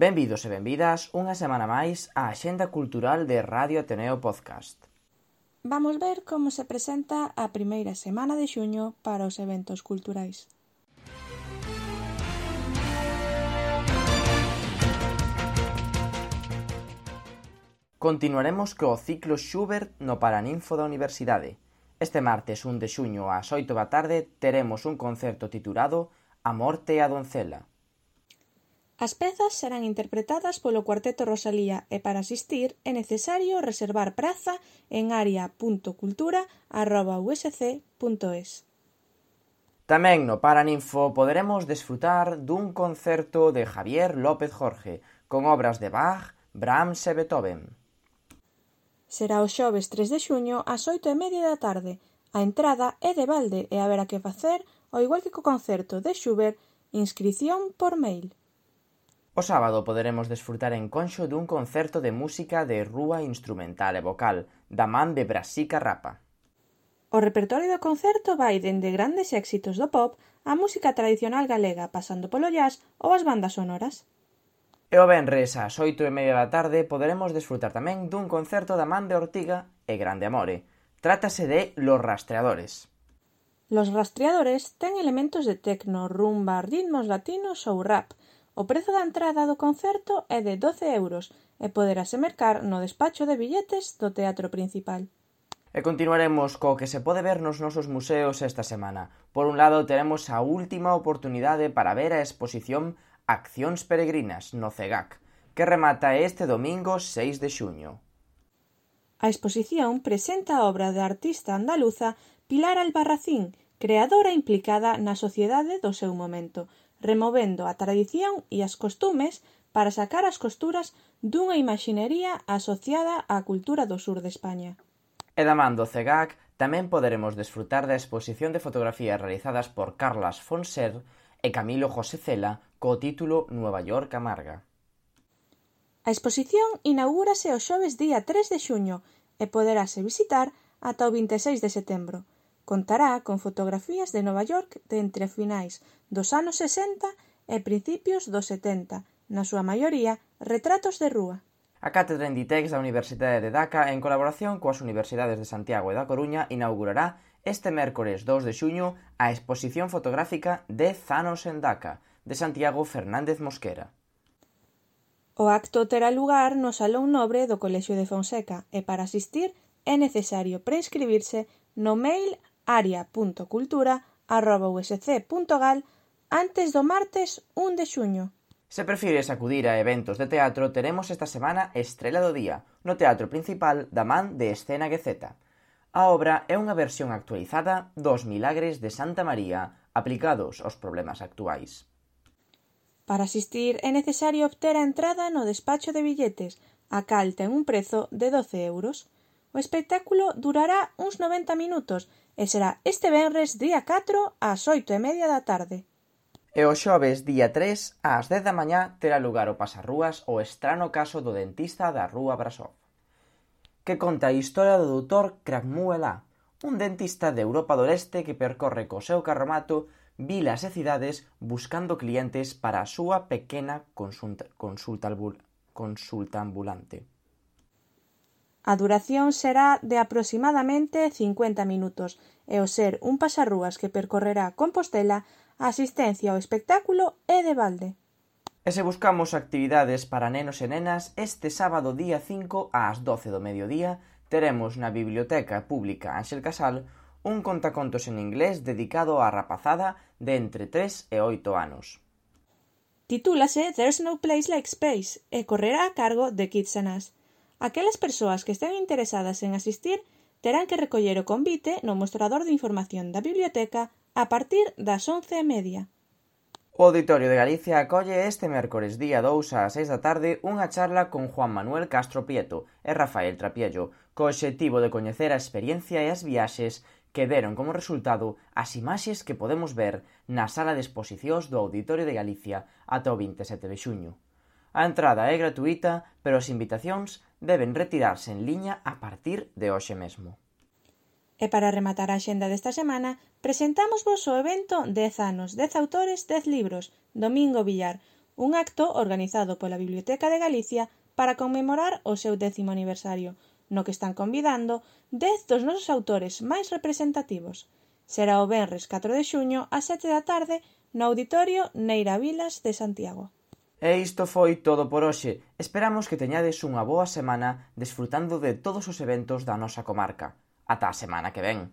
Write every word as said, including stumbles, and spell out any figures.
Benvidos e benvidas unha semana máis á Axenda Cultural de Radio Ateneo Podcast. Vamos ver como se presenta a primeira semana de xuño para os eventos culturais. Continuaremos co ciclo Schubert no Paraninfo da Universidade. Este martes un de xuño ás oito da tarde teremos un concerto titulado A Morte e a Doncela. As pezas serán interpretadas polo Cuarteto Rosalía e para asistir é necesario reservar praza en aria punto cultura arroba u ese ce punto es. Tamén no Paraninfo poderemos desfrutar dun concerto de Javier López Jorge con obras de Bach, Brahms e Beethoven. Será o xoves tres de xuño ás oito e media da tarde. A entrada é de balde e haberá que facer, ao igual que co concerto de Schubert, inscrición por mail. O sábado poderemos desfrutar en Conxo dun concerto de música de rúa instrumental e vocal da man de Brasica Rapa. O repertorio do concerto vai dende grandes éxitos do pop á música tradicional galega, pasando polo jazz ou as bandas sonoras. E o venres ás oito e media da tarde poderemos desfrutar tamén dun concerto da man de Ortiga e Grande Amore. Trátase de Los Rastreadores. Los Rastreadores ten elementos de tecno, rumba, ritmos latinos ou rap. O prezo da entrada do concerto é de doce euros e poderase mercar no despacho de billetes do Teatro Principal. E continuaremos co que se pode ver nos nosos museos esta semana. Por un lado, teremos a última oportunidade para ver a exposición Accións Peregrinas no CEGAC, que remata este domingo seis de xuño. A exposición presenta a obra da artista andaluza Pilar Albarracín, creadora implicada na sociedade do seu momento, removendo a tradición e as costumes para sacar as costuras dunha imaxinería asociada á cultura do sur de España. E da man do CEGAC tamén poderemos desfrutar da exposición de fotografías realizadas por Carlas Fonser e Camilo José Cela co título Nueva York amarga. A exposición inaugúrase o xoves día tres de xuño e poderase visitar ata o vinte e seis de setembro. Contará con fotografías de Nova York de entre finais dos anos sesenta e principios dos setenta, na súa maioría retratos de rúa. A Cátedra Inditex da Universidade de Daca, en colaboración coas Universidades de Santiago e da Coruña, inaugurará este mércores dos de xuño a exposición fotográfica de Zanos en Daca, de Santiago Fernández Mosquera. O acto terá lugar no Salón Nobre do Colexio de Fonseca e para asistir é necesario preinscribirse no mail aria punto cultura arroba u ese ce punto gal antes do martes un de xuño. Se prefires acudir a eventos de teatro, teremos esta semana Estrela do Día, no Teatro Principal da man de Escena Gueceta. A obra é unha versión actualizada dos Milagres de Santa María aplicados aos problemas actuais. Para asistir é necesario obter a entrada no despacho de billetes, a cal ten un prezo de doce euros. O espectáculo durará uns noventa minutos e será este venres día catro ás oito e media da tarde. E o xoves día tres ás dez da mañá terá lugar o pasarrúas O estrano caso do dentista da Rúa Brasov, que conta a historia do doutor Kragmuela, un dentista de Europa do Leste que percorre co seu carromato vilas e cidades buscando clientes para a súa pequena consulta, consulta, consulta ambulante. A duración será de aproximadamente cincuenta minutos e ao ser un pasarrúas que percorrerá Compostela, a asistencia ao espectáculo é de balde. E se buscamos actividades para nenos e nenas, este sábado día cinco ás doce do mediodía teremos na Biblioteca Pública Ángel Casal un contacontos en inglés dedicado á rapazada de entre tres e oito anos. Titúlase There's No Place Like Space e correrá a cargo de Kids and Us. Aquelas persoas que estén interesadas en asistir terán que recoller o convite no mostrador de información da biblioteca a partir das once e media. O Auditorio de Galicia acolle este mércores día dous ás seis da tarde unha charla con Juan Manuel Castro Prieto e Rafael Trapiello, co obxectivo de coñecer a experiencia e as viaxes que deron como resultado as imaxes que podemos ver na sala de exposicións do Auditorio de Galicia ata o vinte e sete de xuño. A entrada é gratuíta, pero as invitacións deben retirarse en liña a partir de hoxe mesmo. E para rematar a axenda desta semana, presentámosvos o evento dez anos, dez autores, dez libros, Domingo Villar, un acto organizado pola Biblioteca de Galicia para conmemorar o seu décimo aniversario, no que están convidando dez dos nosos autores máis representativos. Será o venres catro de xuño ás sete da tarde no Auditorio Neira Vilas de Santiago. E isto foi todo por hoxe. Esperamos que teñades unha boa semana desfrutando de todos os eventos da nosa comarca. Ata a semana que ven.